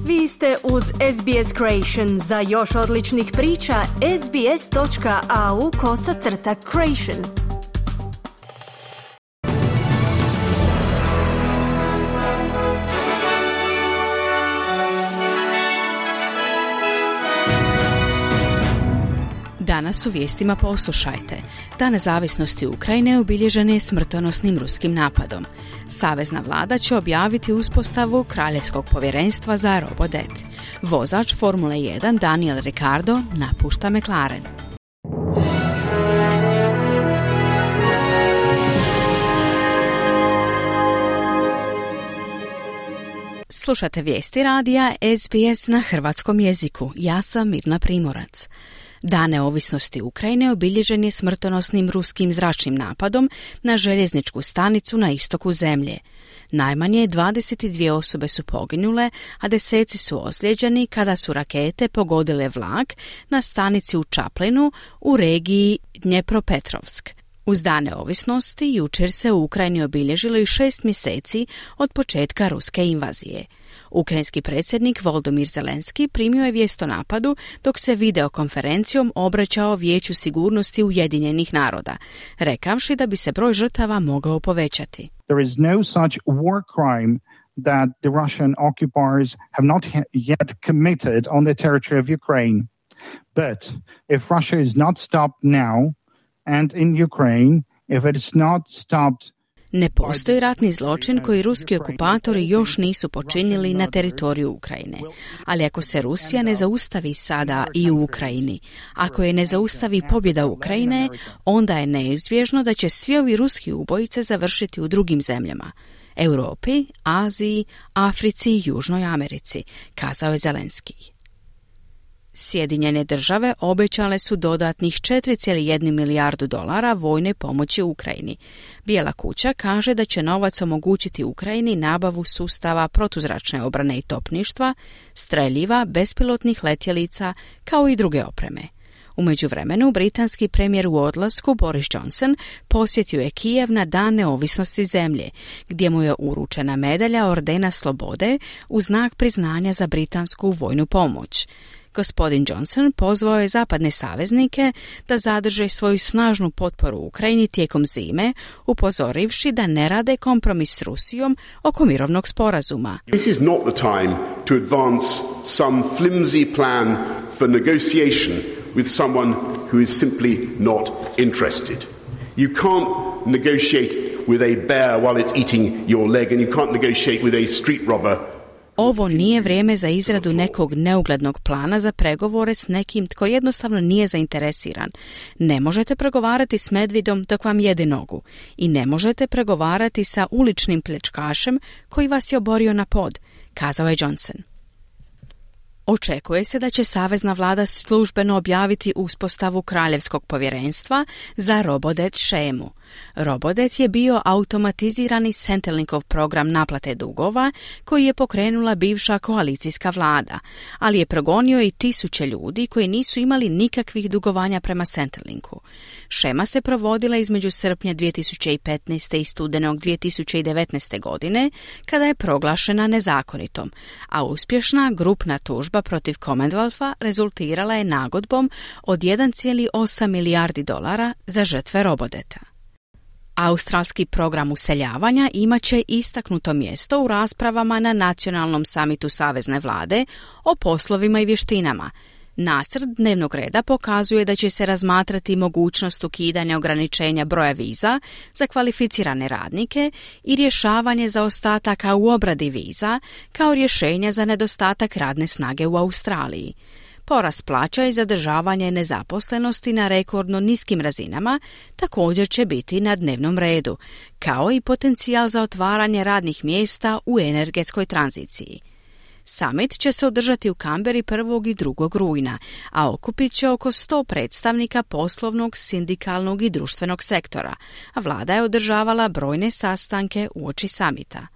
Vi ste uz SBS Creation. Za još odličnih priča, sbs.au/creation. Danas u vijestima poslušajte. Dan nezavisnosti Ukrajine obilježen je smrtonosnim ruskim napadom. Savezna vlada će objaviti uspostavu Kraljevskog povjerenstva za robodet. Vozač Formule 1 Daniel Ricciardo napušta McLaren. Slušate vijesti radija SBS na hrvatskom jeziku. Ja sam Mirna Primorac. Dan neovisnosti Ukrajine obilježen je smrtonosnim ruskim zračnim napadom na željezničku stanicu na istoku zemlje. Najmanje 22 osobe su poginule, a deseci su ozlijeđeni kada su rakete pogodile vlak na stanici u Čaplinu u regiji Dnjepropetrovsk. Uz Dan neovisnosti jučer se u Ukrajini obilježilo i 6 mjeseci od početka ruske invazije. Ukrajinski predsjednik Volodymyr Zelenski primio je vijest o napadu dok se videokonferencijom obraćao Vijeću sigurnosti Ujedinjenih naroda, rekavši da bi se broj žrtava mogao povećati. There is no such war crime that the Russian occupiers have not yet committed on the territory of Ukraine. But if Russia is not stopped now and in Ukraine, if it is not stopped. Ne postoji ratni zločin koji ruski okupatori još nisu počinili na teritoriju Ukrajine. Ali ako se Rusija ne zaustavi sada i u Ukrajini, ako je ne zaustavi pobjeda Ukrajine, onda je neizbježno da će svi ovi ruski ubojice završiti u drugim zemljama. Europi, Aziji, Africi i Južnoj Americi, kazao je Zelenski. Sjedinjene države obećale su dodatnih 4,1 milijardu dolara vojne pomoći Ukrajini. Bijela kuća kaže da će novac omogućiti Ukrajini nabavu sustava protuzračne obrane i topništva, streljiva, bespilotnih letjelica, kao i druge opreme. U međuvremenu, britanski premijer u odlasku Boris Johnson posjetio je Kijev na Dan neovisnosti zemlje, gdje mu je uručena medalja Ordena Slobode u znak priznanja za britansku vojnu pomoć. Gospodin Johnson pozvao je zapadne saveznike da zadrže svoju snažnu potporu Ukrajini tijekom zime, upozorivši da ne rade kompromis s Rusijom oko mirovnog sporazuma. This is not the time to advance some flimsy plan for negotiation with someone who is simply not interested. You can't negotiate with a bear while it's eating your leg and you can't negotiate with a street robber. Ovo nije vrijeme za izradu nekog neuglednog plana za pregovore s nekim tko jednostavno nije zainteresiran. Ne možete pregovarati s medvidom dok vam jede nogu. I ne možete pregovarati sa uličnim pljačkašem koji vas je oborio na pod, kazao je Johnson. Očekuje se da će savezna vlada službeno objaviti uspostavu Kraljevskog povjerenstva za robodet shemu. Robodet je bio automatizirani Centrelinkov program naplate dugova koji je pokrenula bivša koalicijska vlada, ali je progonio i tisuće ljudi koji nisu imali nikakvih dugovanja prema Centrelinku. Shema se provodila između srpnja 2015. i studenog 2019. godine, kada je proglašena nezakonitom, a uspješna grupna tužba protiv Commonwealtha rezultirala je nagodbom od 1,8 milijardi dolara za žrtve robodeta. Australski program useljavanja imat će istaknuto mjesto u raspravama na nacionalnom samitu savezne vlade o poslovima i vještinama. Nacrt dnevnog reda pokazuje da će se razmatrati mogućnost ukidanja ograničenja broja viza za kvalificirane radnike i rješavanje zaostataka u obradi viza kao rješenja za nedostatak radne snage u Australiji. Porast plaća i zadržavanje nezaposlenosti na rekordno niskim razinama također će biti na dnevnom redu, kao i potencijal za otvaranje radnih mjesta u energetskoj tranziciji. Summit će se održati u Canberri 1. i 2. rujna, a okupit će oko 100 predstavnika poslovnog, sindikalnog i društvenog sektora, a vlada je održavala brojne sastanke uoči samita.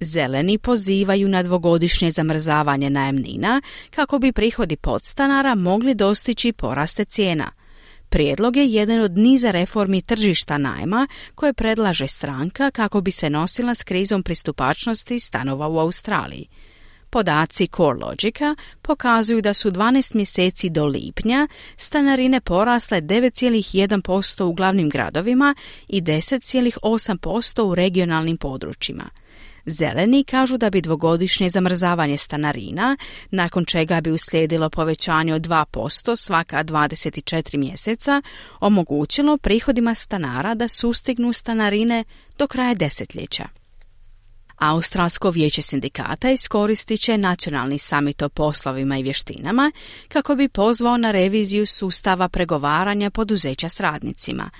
Zeleni pozivaju na dvogodišnje zamrzavanje najamnina kako bi prihodi podstanara mogli dostići poraste cijena. Prijedlog je jedan od niza reformi tržišta najma koje predlaže stranka kako bi se nosila s krizom pristupačnosti stanova u Australiji. Podaci CoreLogica pokazuju da su 12 mjeseci do lipnja stanarine porasle 9,1% u glavnim gradovima i 10,8% u regionalnim područjima. Zeleni kažu da bi dvogodišnje zamrzavanje stanarina, nakon čega bi uslijedilo povećanje od 2% svaka 24 mjeseca, omogućilo prihodima stanara da sustignu stanarine do kraja desetljeća. Australsko vijeće sindikata iskoristit će nacionalni samit o poslovima i vještinama kako bi pozvao na reviziju sustava pregovaranja poduzeća s radnicima.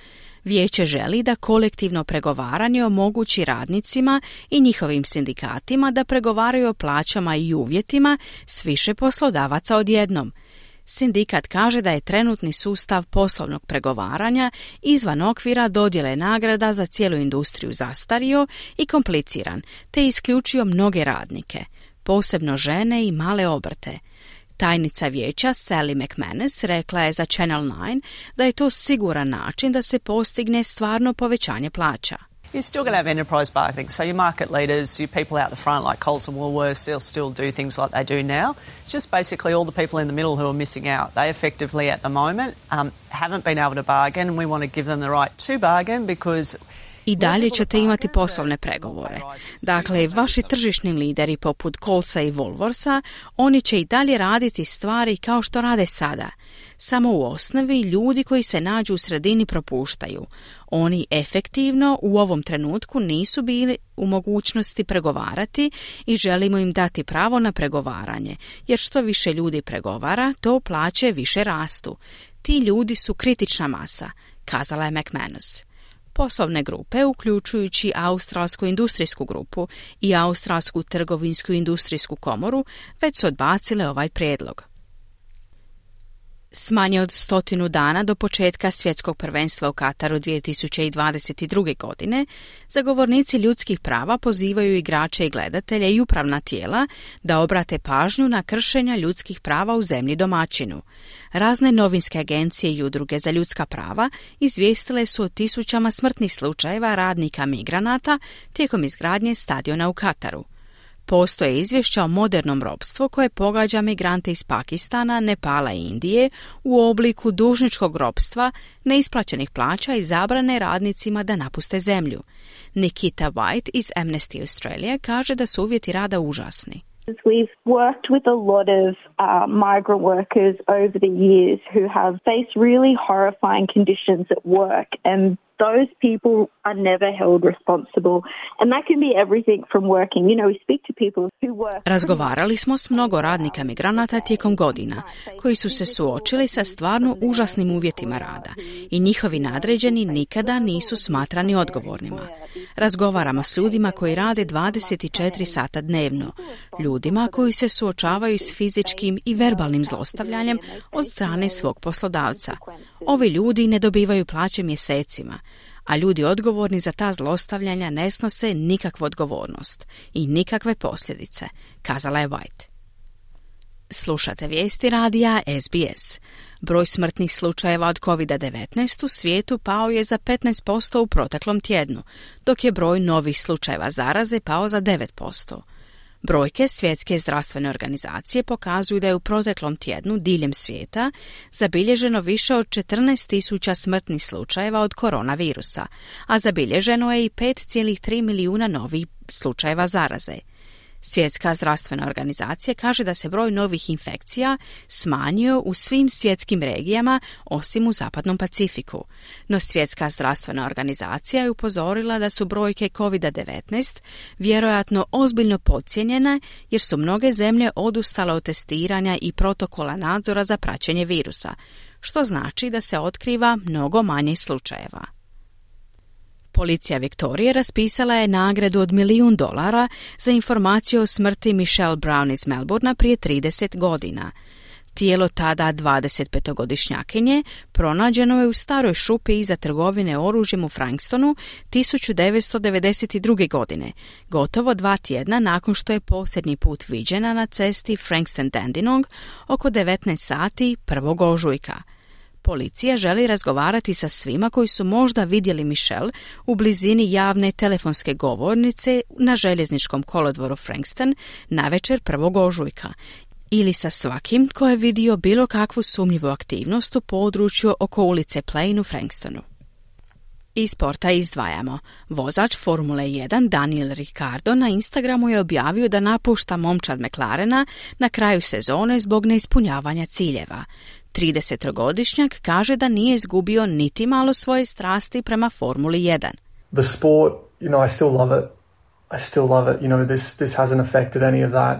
Vijeće želi da kolektivno pregovaranje omogući radnicima i njihovim sindikatima da pregovaraju o plaćama i uvjetima s više poslodavaca odjednom. Sindikat kaže da je trenutni sustav poslovnog pregovaranja izvan okvira dodjele nagrada za cijelu industriju zastario i kompliciran, te isključio mnoge radnike, posebno žene i male obrte. Tajnica vijeća Sally McManus rekla je za Channel 9 da je to siguran način da se postigne stvarno povećanje plaća. You're still going to have enterprise bargaining. So your market leaders, your people out the front like Coles and Woolworths, they'll still do things like they do now. It's just basically all the people in the middle who are missing out. They effectively at the moment haven't been able to bargain, and we want to give them the right to bargain because i dalje ćete imati poslovne pregovore. Dakle, vaši tržišni lideri poput Colesa i Woolworthsa, oni će i dalje raditi stvari kao što rade sada. Samo u osnovi ljudi koji se nađu u sredini propuštaju. Oni efektivno u ovom trenutku nisu bili u mogućnosti pregovarati i želimo im dati pravo na pregovaranje, jer što više ljudi pregovara, to plaće više rastu. Ti ljudi su kritična masa, kazala je McManus. Poslovne grupe, uključujući Australsku industrijsku grupu i Australsku trgovinsku industrijsku komoru, već su odbacile ovaj prijedlog. S manje od 100 dana do početka svjetskog prvenstva u Kataru 2022. godine, zagovornici ljudskih prava pozivaju igrače i gledatelje i upravna tijela da obrate pažnju na kršenja ljudskih prava u zemlji domaćinu. Razne novinske agencije i udruge za ljudska prava izvijestile su o tisućama smrtnih slučajeva radnika migranata tijekom izgradnje stadiona u Kataru. Postoje izvješća o modernom ropstvu koje pogađa migrante iz Pakistana, Nepala i Indije u obliku dužničkog ropstva, neisplaćenih plaća i zabrane radnicima da napuste zemlju. Nikita White iz Amnesty Australia kaže da su uvjeti rada užasni. We've worked with a lot of migrant workers over the years who have faced really horrifying conditions at work, and those people are never held responsible. And that can be everything from working. You know, we speak to people who work. Razgovarali smo s mnogo radnika migranata tijekom godina, koji su se suočili sa stvarno užasnim uvjetima rada i njihovi nadređeni nikada nisu smatrani odgovornima. Razgovaramo s ljudima koji rade 24 sata dnevno, ljudima koji se suočavaju s fizičkim i verbalnim zlostavljanjem od strane svog poslodavca. Ovi ljudi ne dobivaju plaće mjesecima, a ljudi odgovorni za ta zlostavljanja ne snose nikakvu odgovornost i nikakve posljedice, kazala je White. Slušate vijesti radija SBS. Broj smrtnih slučajeva od COVID-19 u svijetu pao je za 15% u proteklom tjednu, dok je broj novih slučajeva zaraze pao za 9%. Brojke Svjetske zdravstvene organizacije pokazuju da je u proteklom tjednu diljem svijeta zabilježeno više od 14.000 smrtnih slučajeva od koronavirusa, a zabilježeno je i 5,3 milijuna novih slučajeva zaraze. Svjetska zdravstvena organizacija kaže da se broj novih infekcija smanjio u svim svjetskim regijama osim u Zapadnom Pacifiku. No Svjetska zdravstvena organizacija je upozorila da su brojke COVID-19 vjerojatno ozbiljno podcijenjene jer su mnoge zemlje odustale od testiranja i protokola nadzora za praćenje virusa, što znači da se otkriva mnogo manje slučajeva. Policija Viktorije raspisala je nagradu od $1 milijun za informaciju o smrti Michelle Brown iz Melbournea prije 30 godina. Tijelo tada 25-godišnjakinje pronađeno je u staroj šupi iza trgovine oružjem u Frankstonu 1992. godine, gotovo 2 tjedna nakon što je posljednji put viđena na cesti Frankston-Dandenong oko 19 sati 1. ožujka. Policija želi razgovarati sa svima koji su možda vidjeli Michelle u blizini javne telefonske govornice na željezničkom kolodvoru Frankston navečer 1. ožujka ili sa svakim ko je vidio bilo kakvu sumnjivu aktivnost u području oko ulice Plain u Frankstonu. Iz sporta izdvajamo. Vozač Formule 1 Daniel Ricciardo na Instagramu je objavio da napušta momčad McLarena na kraju sezone zbog neispunjavanja ciljeva. 30-godišnjak kaže da nije izgubio niti malo svoje strasti prema Formuli 1. The sport, I still love it. I still love it. This hasn't affected any of that.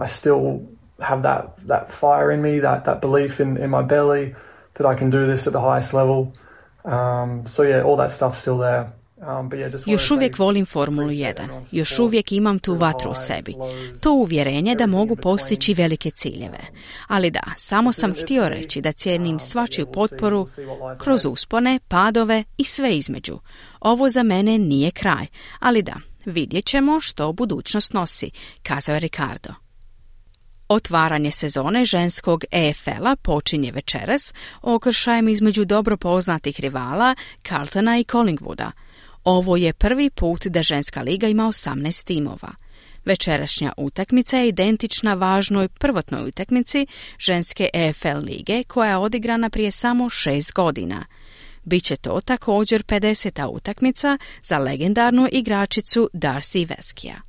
I still have that fire in me, that belief in my belly that I can do this at the highest level. All that stuff's still there. Još uvijek volim Formulu 1. Još uvijek imam tu vatru u sebi. To uvjerenje da mogu postići velike ciljeve. Ali da, samo sam htio reći da cijenim svačiju potporu kroz uspone, padove i sve između. Ovo za mene nije kraj. Ali da, vidjet ćemo što budućnost nosi, kazao je Ricciardo. Otvaranje sezone ženskog EFL-a počinje večeras okršajem između dobro poznatih rivala Carltona i Collingwooda. Ovo je prvi put da ženska liga ima 18 timova. Večerašnja utakmica je identična važnoj prvotnoj utakmici ženske EFL lige koja je odigrana prije samo 6 godina. Biće to također 50. utakmica za legendarnu igračicu Darcy Veskija.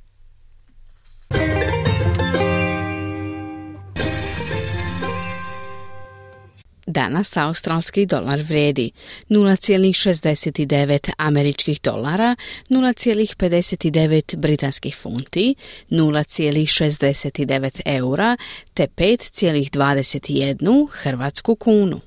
Danas australski dolar vrijedi 0,69 američkih dolara, 0,59 britanskih funti, 0,69 eura te 5,21 hrvatsku kunu.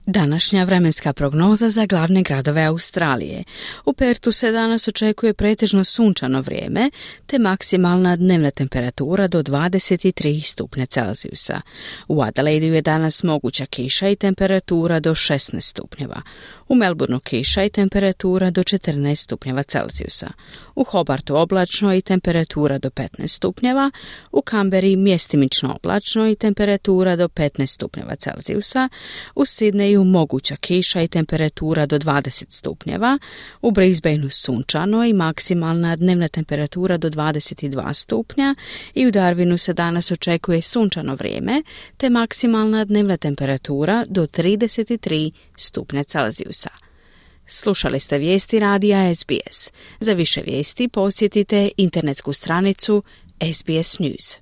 Današnja vremenska prognoza za glavne gradove Australije. U Pertu se danas očekuje pretežno sunčano vrijeme, te maksimalna dnevna temperatura do 23 stupnja Celzijusa. U Adelaideu je danas moguća kiša i temperatura do 16 stupnjeva. U Melbourneu kiša i temperatura do 14 stupnjeva Celzijusa. U Hobartu oblačno i temperatura do 15 stupnjeva. U Canberri mjestimično oblačno i temperatura do 15 stupnjeva Celzijusa. U Sidneju moguća kiša i temperatura do 20 stupnjeva, u Brisbaneu sunčano i maksimalna dnevna temperatura do 22 stupnja i u Darwinu se danas očekuje sunčano vrijeme te maksimalna dnevna temperatura do 33 stupnja Celzijusa. Slušali ste vijesti radija SBS. Za više vijesti posjetite internetsku stranicu SBS News.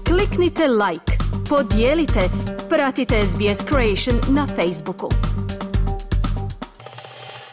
Kliknite like, podijelite, pratite SBS Creation na Facebooku.